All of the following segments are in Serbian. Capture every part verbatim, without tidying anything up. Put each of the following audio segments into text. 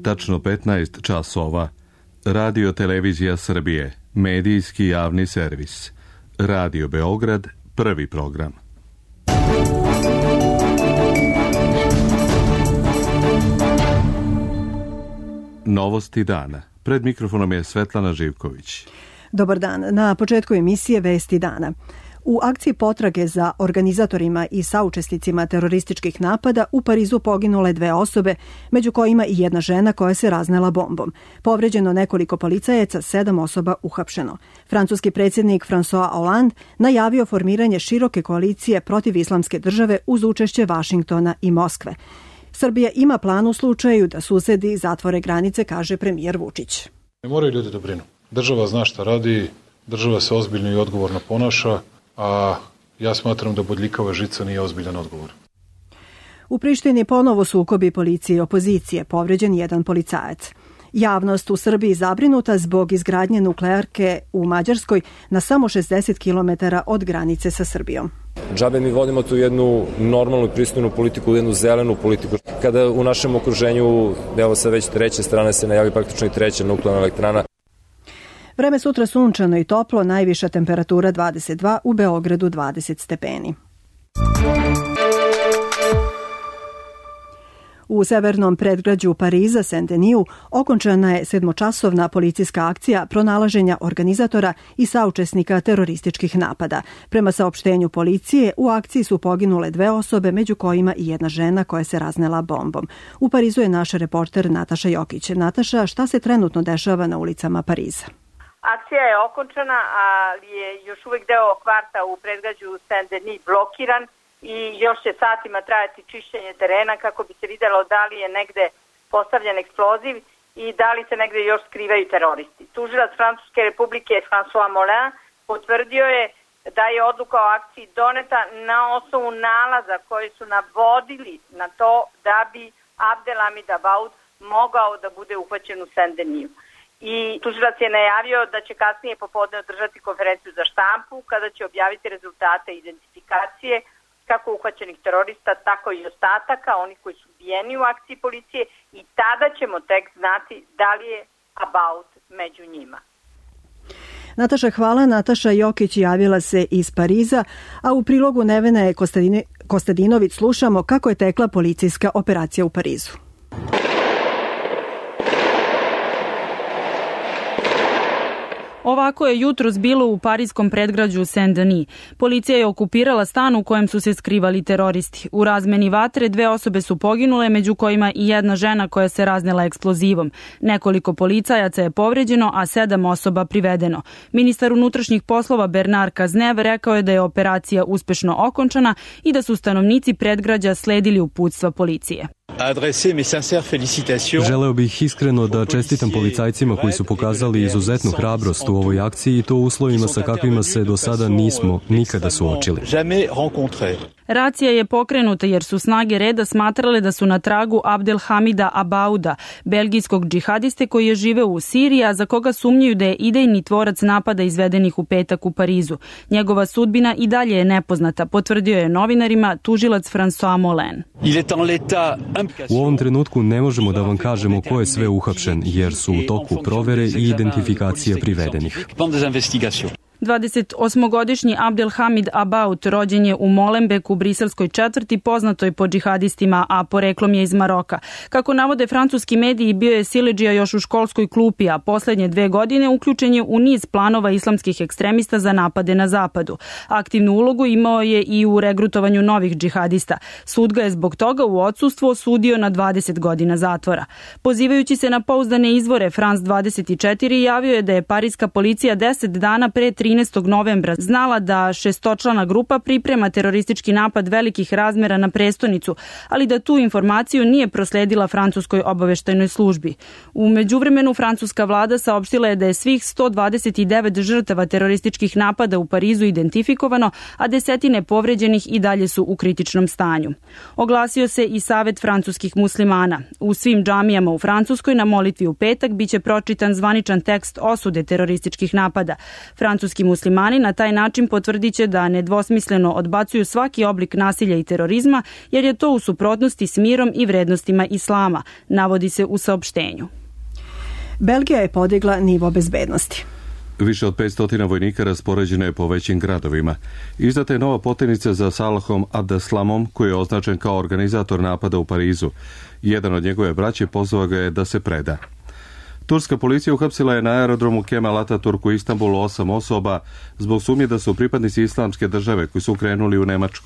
tačno petnaest časova. Radio Televizija Srbije, medijski javni servis. Radio Beograd, prvi program. Novosti dana. Pred mikrofonom je Svetlana Živković. Dobar dan. Na početku emisije Vesti dana. U akciji potrage za organizatorima i saučesnicima terorističkih napada u Parizu poginule dve osobe, među kojima i jedna žena koja se raznela bombom. Povređeno nekoliko policajaca, sedam osoba uhapšeno. Francuski predsjednik François Hollande najavio formiranje široke koalicije protiv islamske države uz učešće Vašingtona i Moskve. Srbija ima plan u slučaju da susedi zatvore granice, kaže premijer Vučić. Ne moraju ljudi da brinu. Država zna šta radi, država se ozbiljno i odgovorno ponaša, a ja smatram da bodljikava žica nije ozbiljan odgovor. U Prištini ponovo sukobi policije i opozicije, povređen jedan policajac. Javnost u Srbiji zabrinuta zbog izgradnje nuklearke u Mađarskoj na samo šezdeset kilometara od granice sa Srbijom. Džabe mi vodimo tu jednu normalnu i pristojnu politiku, jednu zelenu politiku. Kada u našem okruženju, evo sa već treće strane se najavi praktično i treća nuklearna elektrana. Vreme sutra sunčano i toplo, najviša temperatura dvadeset dva, u Beogradu dvadeset stepeni. U severnom predgrađu Pariza, Saint-Denis, okončana je sedmočasovna policijska akcija pronalaženja organizatora i saučesnika terorističkih napada. Prema saopštenju policije, u akciji su poginule dve osobe, među kojima i jedna žena koja se raznela bombom. U Parizu je naš reporter Nataša Jokić. Nataša, šta se trenutno dešava na ulicama Pariza? Akcija je okončana, ali je još uvijek deo kvarta u predgrađu Saint-Denis blokiran i još će satima trajati čišćenje terena kako bi se videlo da li je negde postavljen eksploziv i da li se negde još skrivaju teroristi. Tužilac Francuske republike François Molin potvrdio je da je odluka o akciji doneta na osnovu nalaza koji su navodili na to da bi Abdelhamid Abaoud mogao da bude uhvaćen u Saint-Denisu. I tužilac je najavio da će kasnije popodne održati konferenciju za štampu kada će objaviti rezultate identifikacije kako uhvaćenih terorista, tako i ostataka, onih koji su ubijeni u akciji policije, i tada ćemo tek znati da li je Abaoud među njima. Nataša, hvala. Nataša Jokić javila se iz Pariza, a u prilogu Nevene Kostadinović slušamo kako je tekla policijska operacija u Parizu. Ovako je jutros bilo u pariskom predgrađu Saint-Denis. Policija je okupirala stan u kojem su se skrivali teroristi. U razmeni vatre dve osobe su poginule, među kojima i jedna žena koja se raznela eksplozivom. Nekoliko policajaca je povređeno, a sedam osoba privedeno. Ministar unutrašnjih poslova Bernard Cazeneuve rekao je da je operacija uspešno okončana i da su stanovnici predgrađa sledili uputstva policije. Želeo bih iskreno da čestitam policajcima koji su pokazali izuzetnu hrabrost u ovoj akciji i to u uslovima sa kakvima se do sada nismo nikada suočili. Racija je pokrenuta jer su snage reda smatrale da su na tragu Abdelhamida Abauda, belgijskog džihadiste koji je živeo u Siriji, a za koga sumnjaju da je idejni tvorac napada izvedenih u petak u Parizu. Njegova sudbina i dalje je nepoznata, potvrdio je novinarima tužilac François Molin. U ovom trenutku ne možemo da vam kažemo ko je sve uhapšen, jer su u toku provere i identifikacije privedenih. dvadesetosmogodišnji Abdelhamid Abaoud rođen je u Molenbeeku, briselskoj četvrti, poznatoj po džihadistima, a poreklom je iz Maroka. Kako navode francuski mediji, bio je siledžija još u školskoj klupi, a poslednje dve godine uključen je u niz planova islamskih ekstremista za napade na zapadu. Aktivnu ulogu imao je i u regrutovanju novih džihadista. Sud ga je zbog toga u odsustvu osudio na dvadeset godina zatvora. Pozivajući se na pouzdane izvore, France dvadeset četiri javio je da je pariska policija deset dana pre trinaestog novembra znala da šestočlana grupa priprema teroristički napad velikih razmera na prestonicu, ali da tu informaciju nije prosledila francuskoj obaveštajnoj službi. U međuvremenu francuska vlada saopštila je da je svih sto dvadeset devet žrtava terorističkih napada u Parizu identifikovano, a desetine povređenih i dalje su u kritičnom stanju. Oglasio se i Savet francuskih muslimana. U svim džamijama u Francuskoj na molitvi u petak biće pročitan zvaničan tekst osude terorističkih napada. Francuski turski muslimani na taj način potvrdiće da nedvosmisleno odbacuju svaki oblik nasilja i terorizma, jer je to u suprotnosti s mirom i vrednostima islama, navodi se u saopštenju. Belgija je podigla nivo bezbednosti. Više od petsto vojnika raspoređeno je po većim gradovima. Izdata je nova poternica za Salahom Abdeslamom, koji je označen kao organizator napada u Parizu. Jedan od njegove braće pozvao ga je da se preda. Turska policija uhapsila je na aerodromu Kemal Atatürk u Istanbulu osam osoba zbog sumnje da su pripadnici islamske države koji su krenuli u Nemačku.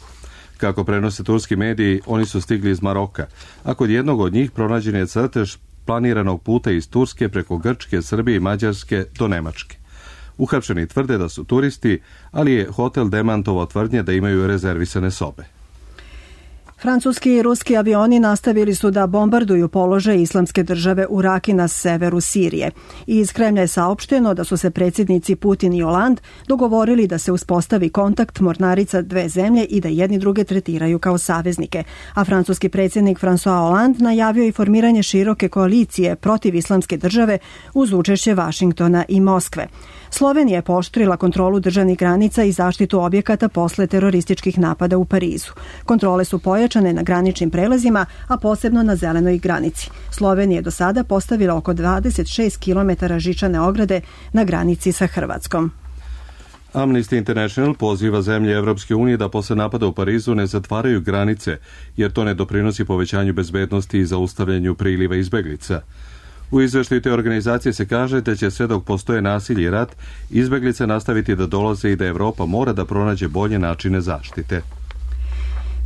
Kako prenose turski mediji, oni su stigli iz Maroka, a kod jednog od njih pronađen je crtež planiranog puta iz Turske preko Grčke, Srbije i Mađarske do Nemačke. Uhapšeni tvrde da su turisti, ali je hotel demantovao tvrdnje da imaju rezervisane sobe. Francuski i ruski avioni nastavili su da bombarduju položaj islamske države u Raki na severu Sirije. I iz Kremlja je saopšteno da su se predsjednici Putin i Hollande dogovorili da se uspostavi kontakt mornarica dve zemlje i da jedni druge tretiraju kao saveznike. A francuski predsjednik François Hollande najavio i formiranje široke koalicije protiv islamske države uz učešće Vašingtona i Moskve. Slovenija je pooštrila kontrolu državnih granica i zaštitu objekata posle terorističkih napada u Parizu. Kontrole su pojačane na graničnim prelazima, a posebno na zelenoj granici. Slovenija je do sada postavila oko dvadeset šest kilometara žičane ograde na granici sa Hrvatskom. Amnesty International poziva zemlje Evropske unije da posle napada u Parizu ne zatvaraju granice, jer to ne doprinosi povećanju bezbednosti i zaustavljanju priliva izbeglica. U izveštaju te organizacije se kaže da će sve dok postoje nasilje i rat, izbeglice nastaviti da dolaze i da Evropa mora da pronađe bolje načine zaštite.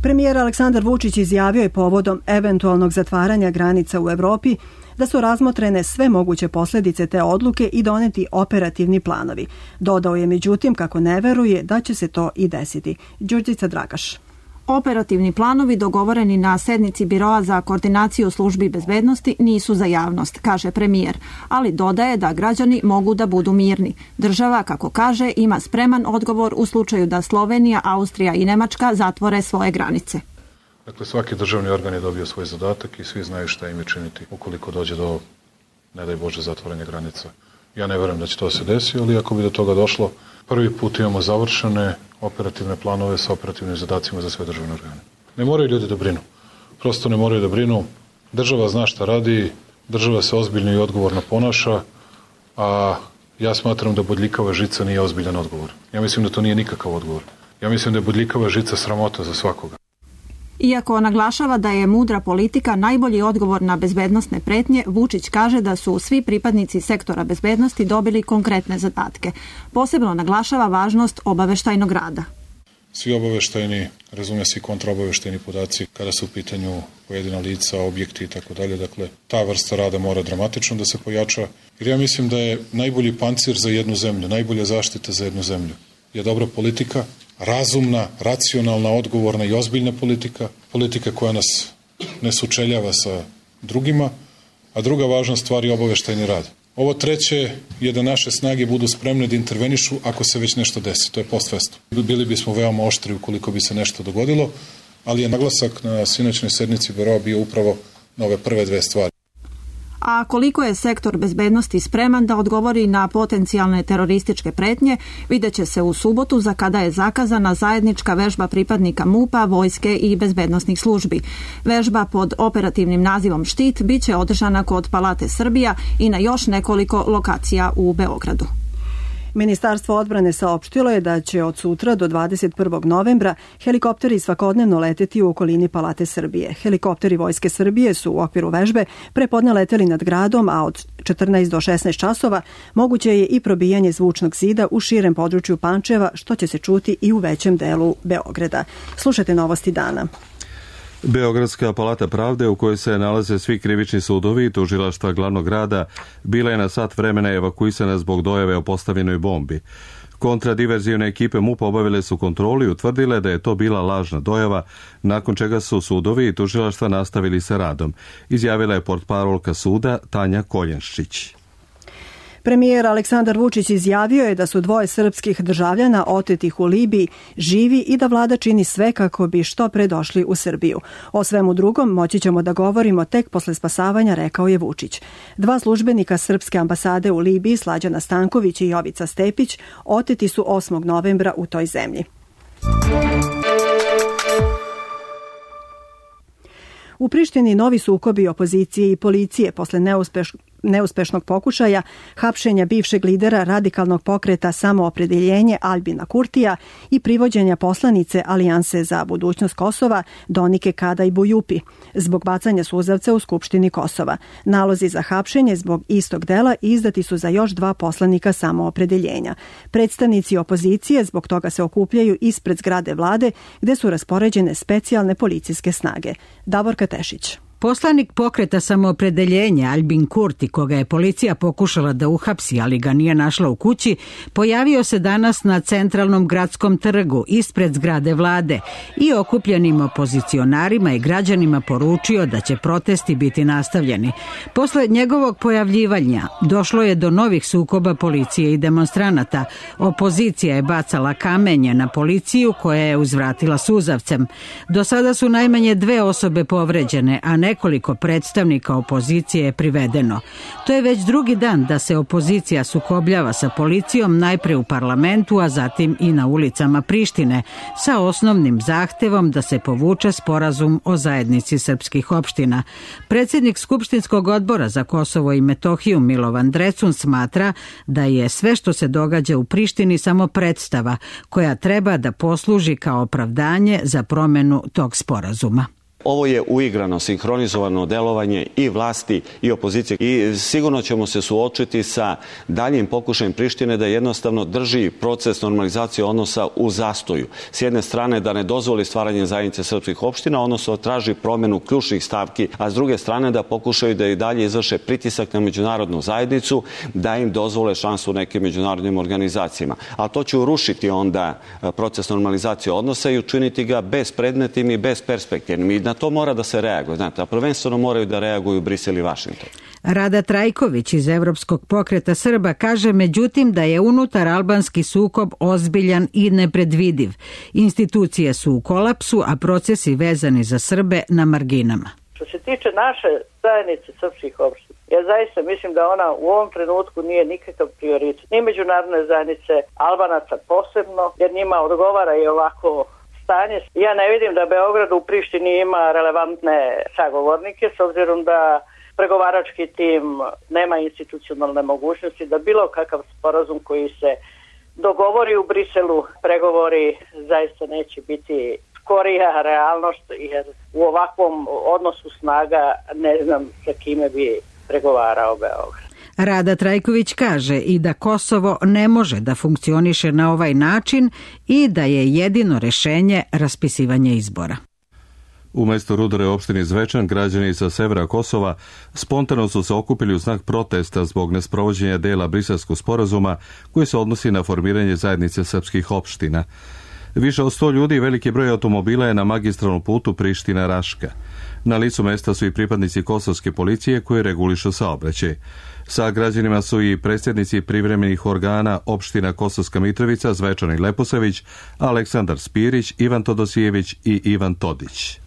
Premijer Aleksandar Vučić izjavio je povodom eventualnog zatvaranja granica u Evropi da su razmotrene sve moguće posljedice te odluke i doneti operativni planovi. Dodao je međutim kako ne veruje da će se to i desiti. Đurđica Dragaš. Operativni planovi dogovoreni na sednici Biroa za koordinaciju službi bezbednosti nisu za javnost, kaže premijer, ali dodaje da građani mogu da budu mirni. Država, kako kaže, ima spreman odgovor u slučaju da Slovenija, Austrija i Nemačka zatvore svoje granice. Dakle, svaki državni organ je dobio svoj zadatak i svi znaju šta im je činiti ukoliko dođe do, ne daj Bože, zatvaranja granica. Ja ne verujem da će to se desiti, ali ako bi do toga došlo, prvi put imamo završene operativne planove sa operativnim zadacima za sve državne organe. Ne moraju ljudi da brinu. Prosto ne moraju da brinu. Država zna šta radi, država se ozbiljno i odgovorno ponaša, a ja smatram da bodljikava žica nije ozbiljan odgovor. Ja mislim da to nije nikakav odgovor. Ja mislim da je bodljikava žica sramota za svakoga. Iako naglašava da je mudra politika najbolji odgovor na bezbednosne pretnje, Vučić kaže da su svi pripadnici sektora bezbednosti dobili konkretne zadatke. Posebno naglašava važnost obaveštajnog rada. Svi obaveštajni, razume se i kontraobaveštajni podaci kada su u pitanju pojedina lica, objekti i tako dalje. Dakle, ta vrsta rada mora dramatično da se pojača. Jer ja mislim da je najbolji pancir za jednu zemlju, najbolja zaštita za jednu zemlju je dobra politika, razumna, racionalna, odgovorna i ozbiljna politika, politika koja nas ne sučeljava sa drugima, a druga važna stvar je obaveštajni rad. Ovo treće je da naše snage budu spremne da intervenišu ako se već nešto desi, to je post festum. Bili bismo veoma oštri ukoliko bi se nešto dogodilo, ali je naglasak na sinoćnoj sednici Biroa bio upravo na ove prve dve stvari. A koliko je sektor bezbednosti spreman da odgovori na potencijalne terorističke pretnje, vidjet će se u subotu za kada je zakazana zajednička vežba pripadnika MUP-a, vojske i bezbednosnih službi. Vežba pod operativnim nazivom Štit biće održana kod Palate Srbija i na još nekoliko lokacija u Beogradu. Ministarstvo odbrane saopštilo je da će od sutra do dvadeset prvog novembra helikopteri svakodnevno leteti u okolini Palate Srbije. Helikopteri Vojske Srbije su u okviru vežbe prepodne leteli nad gradom, a od četrnaest do šesnaest časova moguće je i probijanje zvučnog zida u širem području Pančeva, što će se čuti i u većem delu Beograda. Slušajte novosti dana. Beogradska palata pravde, u kojoj se nalaze svi krivični sudovi i tužilaštva glavnog grada, bila je na sat vremena evakuisana zbog dojave o postavljenoj bombi. Kontradiverzivne ekipe MUP-a obavile su kontrolu i utvrdile da je to bila lažna dojava, nakon čega su sudovi i tužilaštva nastavili sa radom, izjavila je portparolka suda Tanja Koljenščić. Premijer Aleksandar Vučić izjavio je da su dvoje srpskih državljana otetih u Libiji živi i da vlada čini sve kako bi što pre došli u Srbiju. O svemu drugom moći ćemo da govorimo tek posle spasavanja, rekao je Vučić. Dva službenika srpske ambasade u Libiji, Slađana Stanković i Jovica Stepić, oteti su osmog novembra u toj zemlji. U Prištini novi sukobi opozicije i policije posle neuspeš, neuspešnog pokušaja hapšenja bivšeg lidera radikalnog pokreta Samoopredeljenje Albina Kurtija i privođenja poslanice Alijanse za budućnost Kosova Donike Kadaj Bujupi zbog bacanja suzavca u Skupštini Kosova. Nalozi za hapšenje zbog istog dela izdati su za još dva poslanika Samoopredeljenja. Predstavnici opozicije zbog toga se okupljaju ispred zgrade vlade gde su raspoređene specijalne policijske snage. Davorka Tešić. Poslanik pokreta Samoopredeljenja Albin Kurti, koga je policija pokušala da uhapsi, ali ga nije našla u kući, pojavio se danas na centralnom gradskom trgu ispred zgrade vlade i okupljenim opozicionarima i građanima poručio da će protesti biti nastavljeni. Posle njegovog pojavljivanja došlo je do novih sukoba policije i demonstranata. Opozicija je bacala kamenje na policiju koja je uzvratila suzavcem. Do sada su najmanje dve osobe povređene, a nekoliko predstavnika opozicije je privedeno. To je već drugi dan da se opozicija sukobljava sa policijom, najpre u parlamentu, a zatim i na ulicama Prištine, sa osnovnim zahtevom da se povuče sporazum o zajednici srpskih opština. Predsjednik Skupštinskog odbora za Kosovo i Metohiju Milovan Drecun smatra da je sve što se događa u Prištini samo predstava koja treba da posluži kao opravdanje za promjenu tog sporazuma. Ovo je uigrano, sinhronizovano delovanje i vlasti i opozicije i sigurno ćemo se suočiti sa daljim pokušajem Prištine da jednostavno drži proces normalizacije odnosa u zastoju. S jedne strane da ne dozvoli stvaranje zajednice srpskih opština, odnosno traži promjenu ključnih stavki, a s druge strane da pokušaju da i dalje izvrše pritisak na međunarodnu zajednicu, da im dozvole šansu nekim međunarodnim organizacijama. A to će urušiti onda proces normalizacije odnosa i učiniti ga bespredmetnim i besperspektivnim. I na to mora da se reaguje, znate, a prvenstveno moraju da reaguju Brisel i Vašington. Rada Trajković iz Evropskog pokreta Srba kaže međutim da je unutar albanski sukob ozbiljan i nepredvidiv. Institucije su u kolapsu, a procesi vezani za Srbe na marginama. Što se tiče naše zajednice srpskih opština, ja zaista mislim da ona u ovom trenutku nije nikakav prioritet. Ni međunarodne zajednice, Albanaca posebno, jer njima odgovara i ovako stanje. Ja ne vidim da Beograd u Prištini ima relevantne sagovornike, s obzirom da pregovarački tim nema institucionalne mogućnosti da bilo kakav sporazum koji se dogovori u Briselu, pregovori zaista neće biti skorija realnost, jer u ovakvom odnosu snaga ne znam sa kime bi pregovarao Beograd. Rada Trajković kaže i da Kosovo ne može da funkcioniše na ovaj način i da je jedino rešenje raspisivanje izbora. U mestu Rudare opštini Zvečan građani sa severa Kosova spontano su se okupili u znak protesta zbog nesprovođenja dela Briselskog sporazuma koji se odnosi na formiranje zajednice srpskih opština. Više od sto ljudi i veliki broj automobila je na magistralnom putu Priština-Raška. Na licu mesta su i pripadnici kosovske policije koji regulišu saobraćaj. Sa građanima su i predsjednici privremenih organa opština Kosovska Mitrovica, Zvečan i Leposavić, Aleksandar Spirić, Ivan Todosijević i Ivan Todić.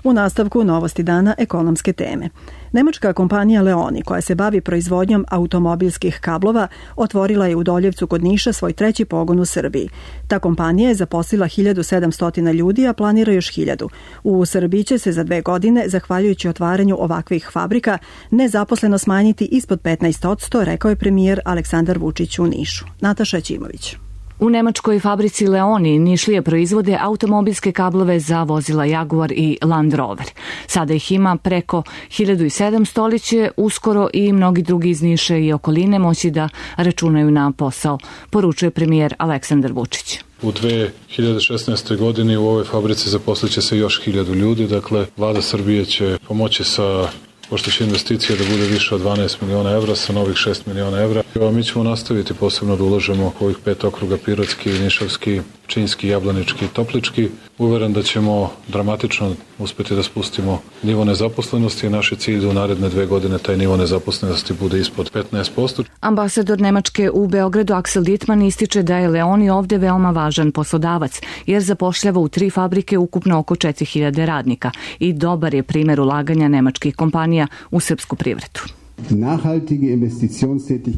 U nastavku novosti dana ekonomske teme. Nemačka kompanija Leoni, koja se bavi proizvodnjom automobilskih kablova, otvorila je u Doljevcu kod Niša svoj treći pogon u Srbiji. Ta kompanija je zaposlila hiljadu sedamsto ljudi, a planira još hiljadu. U Srbiji će se za dve godine, zahvaljujući otvaranju ovakvih fabrika, nezaposleno smanjiti ispod petnaest posto, rekao je premijer Aleksandar Vučić u Nišu. Nataša Ćimović. U nemačkoj fabrici Leoni Nišlije proizvode automobilske kablove za vozila Jaguar i Land Rover. Sada ih ima preko hiljadu sedamsto, ali će uskoro i mnogi drugi iz Niša i okoline moći da računaju na posao, poručuje premijer Aleksandar Vučić. U dve hiljade šesnaestoj godini u ovoj fabrici zaposliće se još hiljadu ljudi, dakle vlada Srbije će pomoći sa pošto će investicija da bude više od dvanaest miliona evra sa novih šest miliona evra. Mi ćemo nastaviti posebno da ulažemo ovih pet okruga, Pirotski, Nišavski, Pčinjski, Jablanički i Toplički. Uveren da ćemo dramatično uspeti da spustimo nivo nezaposlenosti i naš je cilj da u naredne dve godine taj nivo nezaposlenosti bude ispod petnaest posto. Ambasador Nemačke u Beogradu Axel Dittmann ističe da je Leoni ovde veoma važan poslodavac, jer zapošljava u tri fabrike ukupno oko četiri hiljade radnika i dobar je primjer ulaganja nemačkih kompanija u srpsku privredu.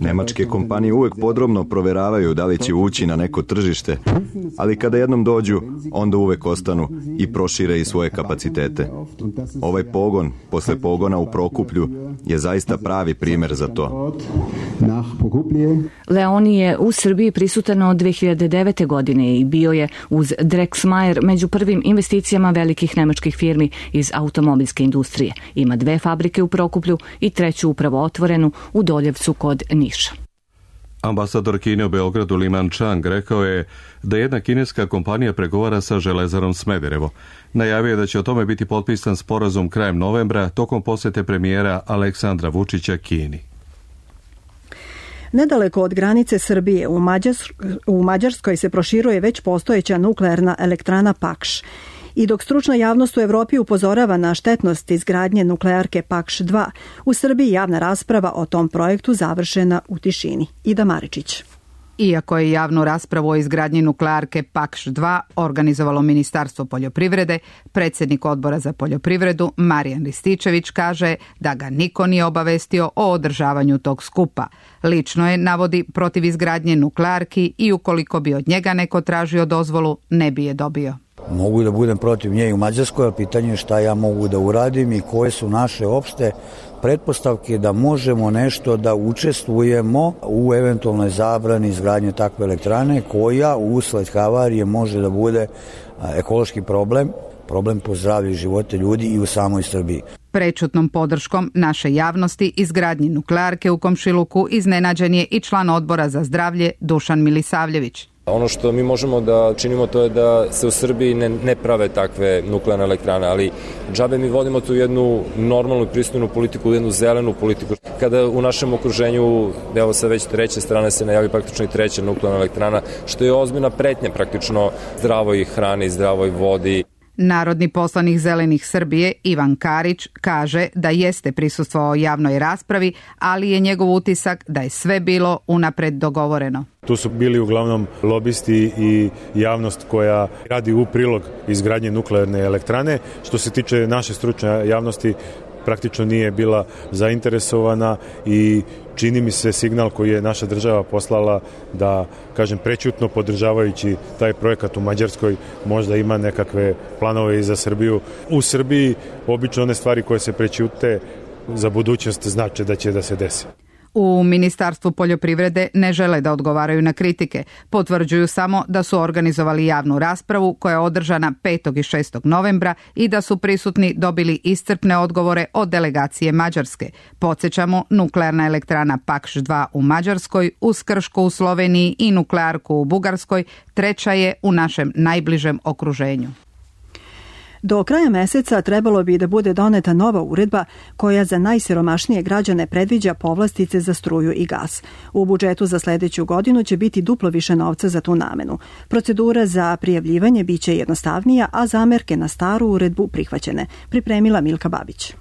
Nemačke kompanije uvek podrobno proveravaju da li će ući na neko tržište, ali kada jednom dođu, onda uvek ostanu i prošire i svoje kapacitete. Ovaj pogon, posle pogona u Prokuplju, je zaista pravi primer za to. Leoni je u Srbiji prisutan od dve hiljade devete. godine i bio je uz Drexmayer među prvim investicijama velikih nemačkih firmi iz automobilske industrije. Ima dve fabrike u Prokuplju i treću upravo otvorenu u Doljevcu kod Niša. Ambasador Kine u Beogradu Liman Chang rekao je da jedna kineska kompanija pregovara sa Železarom Smederevo. Najavio je da će o tome biti potpisan sporazum krajem novembra tokom posete premijera Aleksandra Vučića Kini. Nedaleko od granice Srbije u, Mađars- u Mađarskoj se proširuje već postojeća nuklearna elektrana Pakš. I dok stručna javnost u Evropi upozorava na štetnost izgradnje nuklearke Pakš dva, u Srbiji javna rasprava o tom projektu završena u tišini. Ida Maričić. Iako je javnu raspravu o izgradnji nuklearke Pakš dva organizovalo Ministarstvo poljoprivrede, predsjednik odbora za poljoprivredu Marijan Rističević kaže da ga niko nije obavestio o održavanju tog skupa. Lično je, navodi, protiv izgradnje nuklearki i ukoliko bi od njega neko tražio dozvolu, ne bi je dobio. Mogu da budem protiv nje i u Mađarskoj, ali pitanje je šta ja mogu da uradim i koje su naše opšte pretpostavke da možemo nešto da učestvujemo u eventualnoj zabrani izgradnje takve elektrane koja usled havarije može da bude ekološki problem, problem po zdravlje i živote ljudi i u samoj Srbiji. Prečutnom podrškom naše javnosti izgradnji nuklearke u komšiluku iznenađen je i član odbora za zdravlje Dušan Milisavljević. Ono što mi možemo da činimo to je da se u Srbiji ne, ne prave takve nuklearne elektrane, ali džabe mi vodimo tu jednu normalnu i pristojnu politiku, jednu zelenu politiku. Kada u našem okruženju, evo sa već treće strane se najavi praktično i treća nuklearna elektrana, što je ozbiljna pretnja praktično zdravoj hrani, zdravoj vodi. Narodni poslanik Zelenih Srbije Ivan Karić kaže da jeste prisustvovao javnoj raspravi, ali je njegov utisak da je sve bilo unapred dogovoreno. Tu su bili uglavnom lobisti i javnost koja radi u prilog izgradnje nuklearne elektrane. Što se tiče naše stručne javnosti, praktično nije bila zainteresovana i čini mi se signal koji je naša država poslala da, kažem, prećutno podržavajući taj projekat u Mađarskoj možda ima nekakve planove i za Srbiju. U Srbiji obično one stvari koje se prećute za budućnost znače da će da se desi. U Ministarstvu poljoprivrede ne žele da odgovaraju na kritike. Potvrđuju samo da su organizovali javnu raspravu koja je održana petog i šestog novembra i da su prisutni dobili iscrpne odgovore od delegacije Mađarske. Podsjećamo, nuklearna elektrana Pakš dva u Mađarskoj, uz Krško u Sloveniji i nuklearku u Bugarskoj treća je u našem najbližem okruženju. Do kraja meseca trebalo bi da bude doneta nova uredba koja za najsiromašnije građane predviđa povlastice za struju i gas. U budžetu za sledeću godinu će biti duplo više novca za tu namenu. Procedura za prijavljivanje biće jednostavnija, a zamerke na staru uredbu prihvaćene. Pripremila Milka Babić.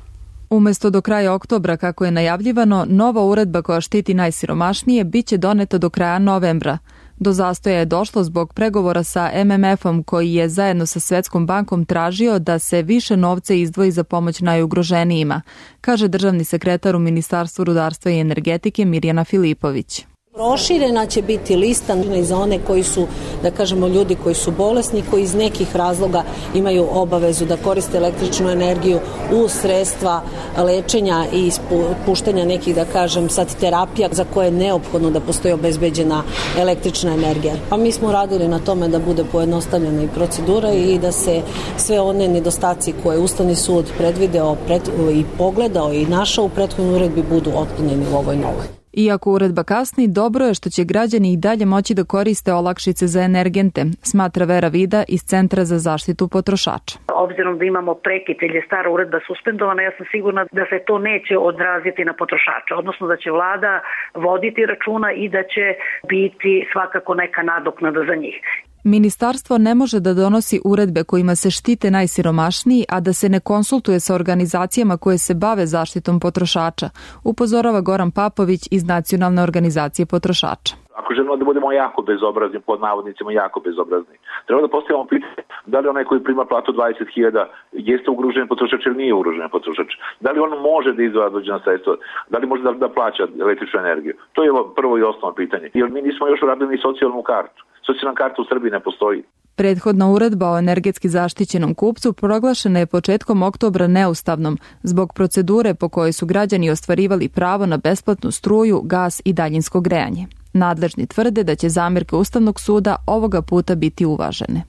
Umesto do kraja oktobra, kako je najavljivano, nova uredba koja štiti najsiromašnije biće doneta do kraja novembra. Do zastoja je došlo zbog pregovora sa M M F-om koji je zajedno sa Svetskom bankom tražio da se više novca izdvoji za pomoć najugroženijima, kaže državni sekretar u Ministarstvu rudarstva i energetike Mirjana Filipović. Proširena će biti lista i za one koji su, da kažemo, ljudi koji su bolesni, koji iz nekih razloga imaju obavezu da koriste električnu energiju u sredstva lečenja i puštanja nekih, da kažem, sad terapija za koje je neophodno da postoji obezbeđena električna energija. Pa mi smo radili na tome da bude pojednostavljena i procedura i da se sve one nedostaci koje Ustavni sud predvideo pred, i pogledao i našao u prethodnoj uredbi budu otklonjeni u ovoj novoj. Iako uredba kasni, dobro je što će građani i dalje moći da koriste olakšice za energente, smatra Vera Vida iz Centra za zaštitu potrošača. Obzirom da imamo prekid jer je stara uredba suspendovana, ja sam sigurna da se to neće odraziti na potrošača, odnosno da će vlada voditi računa i da će biti svakako neka nadoknada za njih. Ministarstvo ne može da donosi uredbe kojima se štite najsiromašniji, a da se ne konsultuje sa organizacijama koje se bave zaštitom potrošača, upozorava Goran Papović iz Nacionalne organizacije potrošača. Ako želimo da budemo jako bezobrazni, pod navodnicima jako bezobrazni, treba da postavimo pitanje da li onaj koji prima platu dvadeset hiljada jeste ugrožen potrošač ili nije ugrožen potrošač. Da li on može da izdvaja određena sredstva, da li može da, da plaća električnu energiju. To je prvo i osnovno pitanje. Jer mi nismo još uradili ni socijalnu kartu. Socijalna karta u Srbiji ne postoji. Prethodna uredba o energetski zaštićenom kupcu proglašena je početkom oktobra neustavnom zbog procedure po kojoj su građani ostvarivali pravo na besplatnu struju, gas i daljinsko grejanje. Nadležni tvrde da će zamerke Ustavnog suda ovoga puta biti uvažene.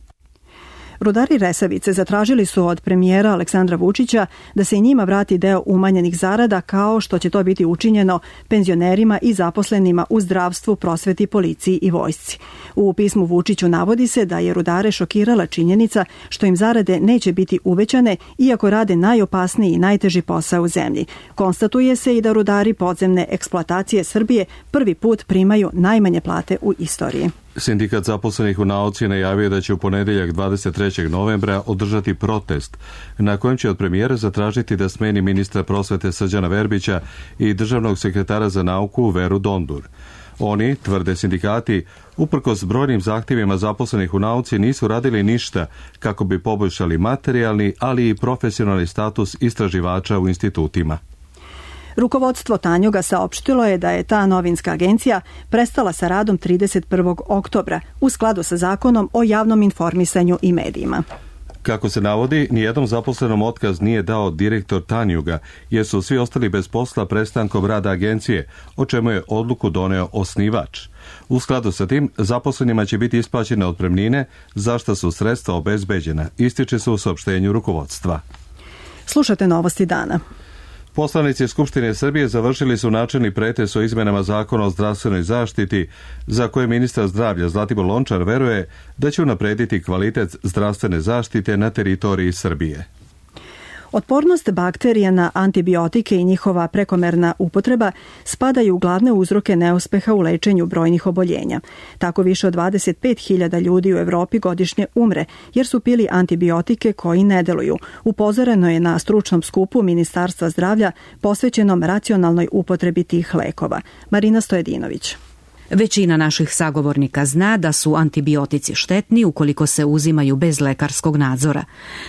Rudari Resavice zatražili su od premijera Aleksandra Vučića da se i njima vrati deo umanjenih zarada, kao što će to biti učinjeno penzionerima i zaposlenima u zdravstvu, prosveti, policiji i vojsci. U pismu Vučiću navodi se da je rudare šokirala činjenica što im zarade neće biti uvećane, iako rade najopasniji i najteži posao u zemlji. Konstatuje se i da rudari podzemne eksploatacije Srbije prvi put primaju najmanje plate u istoriji. Sindikat zaposlenih u nauci najavio da će u ponedeljak dvadeset trećeg novembra održati protest na kojem će od premijera zatražiti da smeni ministra prosvete Srđana Verbića i državnog sekretara za nauku Veru Dondur. Oni, tvrde sindikati, uprkos brojnim zahtjevima zaposlenih u nauci nisu radili ništa kako bi poboljšali materijalni, ali i profesionalni status istraživača u institutima. Rukovodstvo Tanjuga saopštilo je da je ta novinska agencija prestala sa radom trideset prvog oktobra u skladu sa zakonom o javnom informisanju i medijima. Kako se navodi, nijednom zaposlenom otkaz nije dao direktor Tanjuga, jer su svi ostali bez posla prestankom rada agencije, o čemu je odluku doneo osnivač. U skladu sa tim, zaposlenima će biti isplaćene otpremnine, za što su sredstva obezbeđena, ističe se u saopštenju rukovodstva. Slušate novosti dana. Poslanici Skupštine Srbije završili su načelni pretres o izmenama zakona o zdravstvenoj zaštiti, za koje ministar zdravlja Zlatibor Lončar veruje da će unaprediti kvalitet zdravstvene zaštite na teritoriji Srbije. Otpornost bakterija na antibiotike i njihova prekomerna upotreba spadaju u glavne uzroke neuspeha u lečenju brojnih oboljenja. Tako više od dvadeset pet hiljada ljudi u Evropi godišnje umre jer su pili antibiotike koji ne deluju. Upozoreno je na stručnom skupu Ministarstva zdravlja posvećenom racionalnoj upotrebi tih lekova. Marina Stojedinović. Većina naših sagovornika zna da su antibiotici štetni ukoliko se uzimaju bez lekarskog nadzora.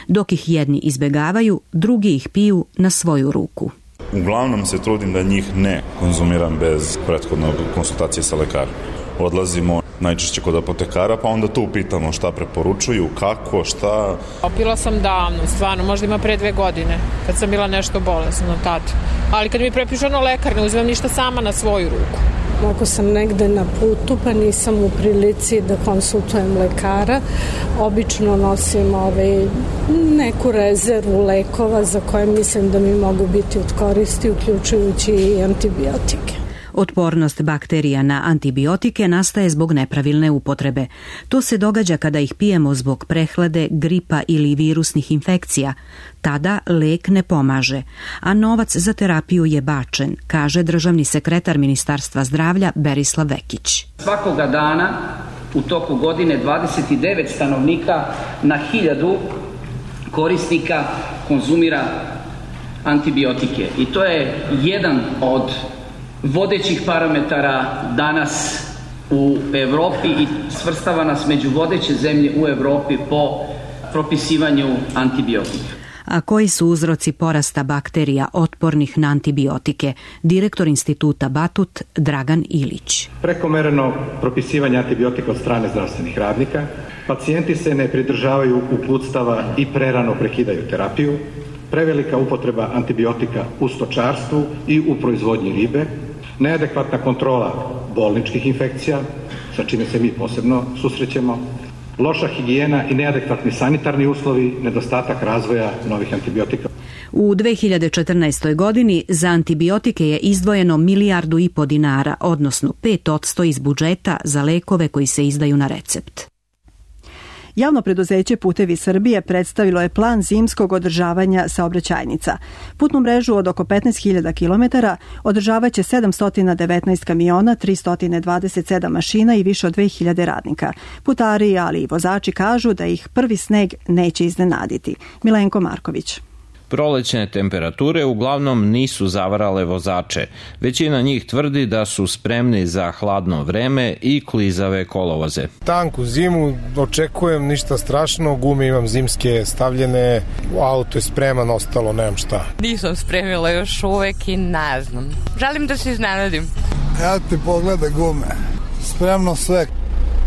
Dok ih jedni izbegavaju, drugi ih piju na svoju ruku. Uglavnom se trudim da njih ne konzumiram bez prethodne konsultacije sa lekarom. Odlazimo najčešće kod apotekara, pa onda tu pitamo šta preporučuju, kako, šta. Pila sam davno, stvarno, možda ima pre dve godine, kad sam bila nešto bolesna tad. Ali kad mi prepišu ono lekar, ne uzimam ništa sama na svoju ruku. Ako sam negde na putu pa nisam u prilici da konsultujem lekara, obično nosim ovaj, neku rezervu lekova za koje mislim da mi mogu biti od koristi, uključujući i antibiotike. Otpornost bakterija na antibiotike nastaje zbog nepravilne upotrebe. To se događa kada ih pijemo zbog prehlade, gripa ili virusnih infekcija. Tada lek ne pomaže, a novac za terapiju je bačen, kaže državni sekretar Ministarstva zdravlja Berislav Vekić. Svakoga dana u toku godine dvadeset devet stanovnika na hiljadu korisnika konzumira antibiotike i to je jedan od vodećih parametara danas u Evropi i svrstava nas među vodeće zemlje u Evropi po propisivanju antibiotika. A koji su uzroci porasta bakterija otpornih na antibiotike? Direktor instituta Batut Dragan Ilić. Prekomereno propisivanje antibiotika od strane zdravstvenih radnika, pacijenti se ne pridržavaju uputstava i prerano prekidaju terapiju, prevelika upotreba antibiotika u stočarstvu i u proizvodnji ribe, neadekvatna kontrola bolničkih infekcija, sa čime se mi posebno susrećemo, loša higijena i neadekvatni sanitarni uslovi, nedostatak razvoja novih antibiotika. U dve hiljade četrnaestoj. godini za antibiotike je izdvojeno milijardu i po dinara, odnosno pet posto iz budžeta za lekove koji se izdaju na recept. Javno preduzeće Putevi Srbije predstavilo je plan zimskog održavanja saobraćajnica. Putnu mrežu od oko petnaest hiljada kilometara održavaće sedamsto devetnaest kamiona, tristo dvadeset sedam mašina i više od dve hiljade radnika. Putari, ali i vozači kažu da ih prvi sneg neće iznenaditi. Milenko Marković. Prolećne temperature uglavnom nisu zavarale vozače. Većina njih tvrdi da su spremni za hladno vreme i klizave kolovoze. Tanku zimu, očekujem ništa strašno, gume imam zimske stavljene, auto je spreman, ostalo nemam šta. Nisam spremila još uvek i ne znam. Želim da se iznenadim. Ja ti pogledaj gume, spremno sve.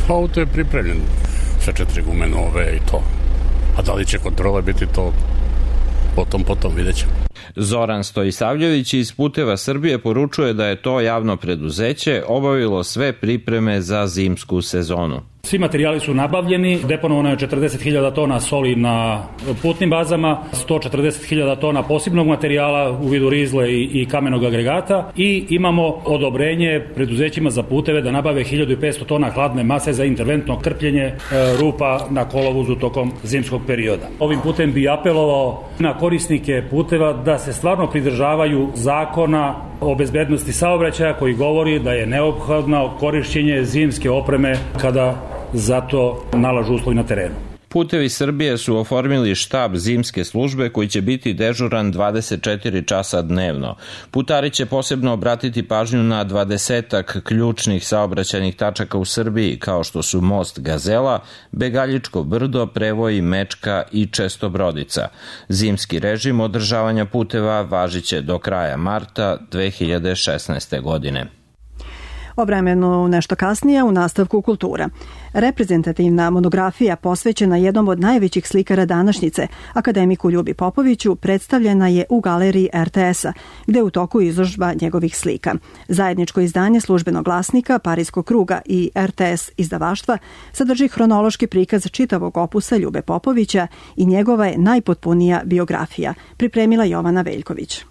Auto je pripremljen, sve četiri gume nove i to. A da li će kontrola biti to? Potom, potom vidjet ćemo. Zoran Stojisavljević iz Puteva Srbije poručuje da je to javno preduzeće obavilo sve pripreme za zimsku sezonu. Svi materijali su nabavljeni, deponovano je četrdeset hiljada tona soli na putnim bazama, sto četrdeset hiljada tona posebnog materijala u vidu rizle i, i kamenog agregata i imamo odobrenje preduzećima za puteve da nabave hiljadu petsto tona hladne mase za interventno krpljenje e, rupa na kolovozu tokom zimskog perioda. Ovim putem bi apelovao na korisnike puteva da se stvarno pridržavaju zakona o bezbednosti saobraćaja koji govori da je neophodno korišćenje zimske opreme kada zato nalažu uslovi na terenu. Putevi Srbije su oformili štab zimske službe koji će biti dežuran dvadeset četiri časa dnevno. Putari će posebno obratiti pažnju na dvadesetak ključnih saobraćajnih tačaka u Srbiji, kao što su most Gazela, Begaljičko brdo, Prevoj, Mečka i Čestobrodica. Zimski režim održavanja puteva važiće do kraja marta dve hiljade šesnaeste. godine. O vremenu nešto kasnije u nastavku kultura. Reprezentativna monografija posvećena jednom od najvećih slikara današnjice, akademiku Ljubi Popoviću, predstavljena je u galeriji er te es-a, gde je u toku izložba njegovih slika. Zajedničko izdanje Službenog glasnika, Parijskog kruga i er te es izdavaštva sadrži hronološki prikaz čitavog opusa Ljube Popovića i njegova je najpotpunija biografija, pripremila Jovana Veljković.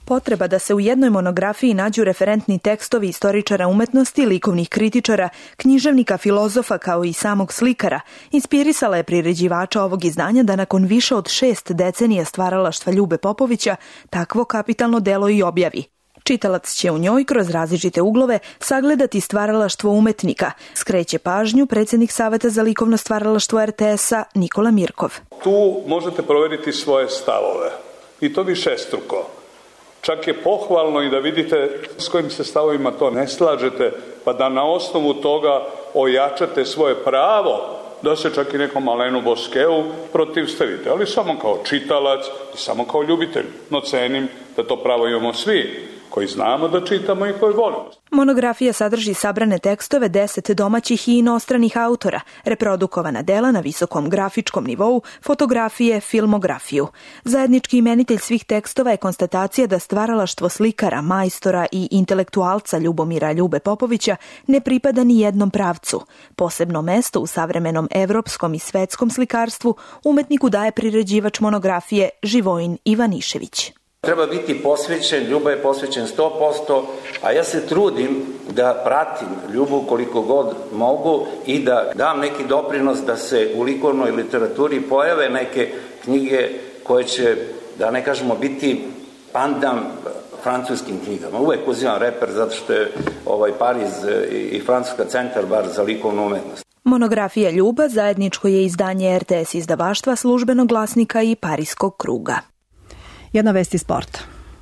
Potreba da se u jednoj monografiji nađu referentni tekstovi istoričara umetnosti, likovnih kritičara, književnika, filozofa kao i samog slikara inspirisala je priređivača ovog izdanja da nakon više od šest decenija stvaralaštva Ljube Popovića takvo kapitalno delo i objavi. Čitalac će u njoj kroz različite uglove sagledati stvaralaštvo umetnika, skreće pažnju predsjednik Saveta za likovno stvaralaštvo er te es-a Nikola Mirkov. Tu možete proveriti svoje stavove i to višestruko. Čak je pohvalno i da vidite s kojim se stavovima to ne slažete, pa da na osnovu toga ojačate svoje pravo da se čak i nekom Alenu Boskeu protivstavite, ali samo kao čitalac i samo kao ljubitelj. No cenim da to pravo imamo svi koji znamo da čitamo i koji volimo. Monografija sadrži sabrane tekstove deset domaćih i inostranih autora, reprodukovana dela na visokom grafičkom nivou, fotografije, filmografiju. Zajednički imenitelj svih tekstova je konstatacija da stvaralaštvo slikara, majstora i intelektualca Ljubomira Ljube Popovića ne pripada ni jednom pravcu. Posebno mesto u savremenom evropskom i svetskom slikarstvu umetniku daje priređivač monografije Živojin Ivanišević. Treba biti posvećen, Ljuba je posvećen sto posto, a ja se trudim da pratim Ljubu koliko god mogu i da dam neki doprinos da se u likovnoj literaturi pojave neke knjige koje će, da ne kažemo, biti pandam francuskim knjigama. Uvek uzivam reper zato što je ovaj Pariz i Francuska centar bar za likovnu umetnost. Monografija Ljuba zajedničko je izdanje er te es izdavaštva, Službenog glasnika i Parijskog kruga. Jedna vest iz sporta.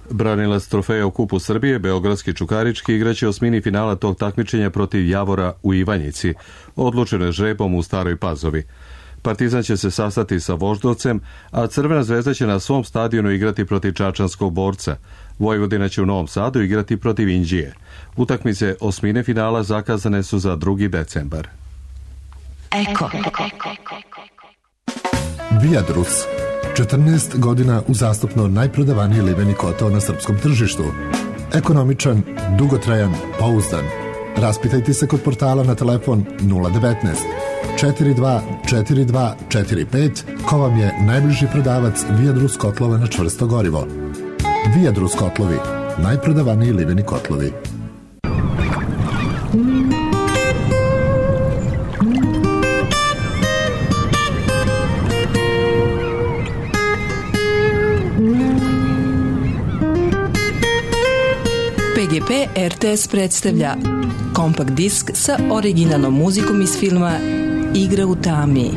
Branilac trofeja u Kupu Srbije, beogradski Čukarički, igraće osmini finala tog takmičenja protiv Javora u Ivanjici, odlučeno je žrebom u Staroj Pazovi. Partizan će se sastati sa Voždovcem, a Crvena zvezda će na svom stadionu igrati protiv Čačanskog Borca. Vojvodina će u Novom Sadu igrati protiv Inđije. Utakmice osmine finala zakazane su za drugi decembar. Eko. Viadrus. četrnaest godina uzastopno najprodavaniji liveni kotao na srpskom tržištu. Ekonomičan, dugotrajan, pouzdan. Raspitajte se kod portala na telefon nula devetnaest četrdeset dva četrdeset dva četrdeset pet ko vam je najbliži prodavac Viadrus kotlova na čvrsto gorivo. Viadrus kotlovi, najprodavaniji liveni kotlovi. P R T S predstavlja kompakt disk sa originalnom muzikom iz filma Igra u tami.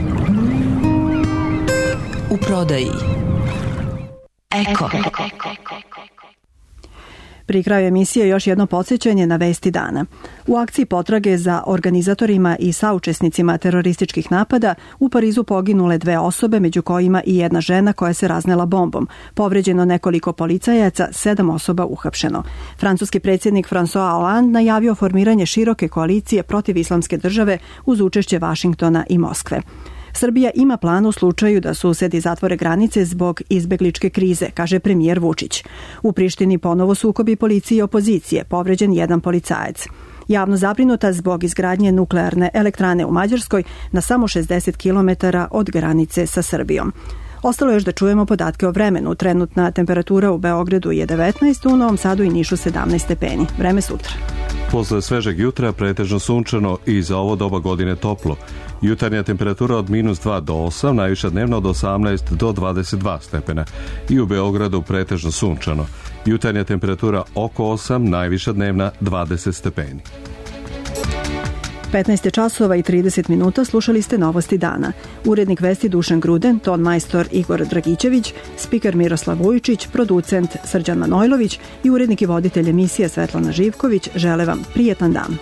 U prodaji Eko. Pri kraju emisije još jedno podsjećanje na vesti dana. U akciji potrage za organizatorima i saučesnicima terorističkih napada u Parizu poginule dve osobe, među kojima i jedna žena koja se raznela bombom. Povređeno nekoliko policajaca, sedam osoba uhapšeno. Francuski predsjednik François Hollande najavio formiranje široke koalicije protiv islamske države uz učešće Vašingtona i Moskve. Srbija ima plan u slučaju da susedi zatvore granice zbog izbegličke krize, kaže premijer Vučić. U Prištini ponovo sukobi policije i opozicije, povređen jedan policajac. Javno zabrinuta zbog izgradnje nuklearne elektrane u Mađarskoj na samo šezdeset kilometara od granice sa Srbijom. Ostalo je još da čujemo podatke o vremenu. Trenutna temperatura u Beogradu je devetnaest, u Novom Sadu i Nišu sedamnaest stepeni. Vreme sutra. Posle svežeg jutra pretežno sunčano i za ovo doba godine toplo. Jutarnja temperatura od minus dva do osam, najviša dnevna od osamnaest do dvadeset dva stepena. I u Beogradu pretežno sunčano. Jutarnja temperatura oko osam, najviša dnevna dvadeset stepeni. petnaest časova i trideset minuta, slušali ste Novosti dana. Urednik vesti Dušan Gruden, ton majstor Igor Dragićević, spiker Miroslav Vujičić, producent Srđan Manojlović i urednik i voditelj emisije Svetlana Živković žele vam prijetan dan.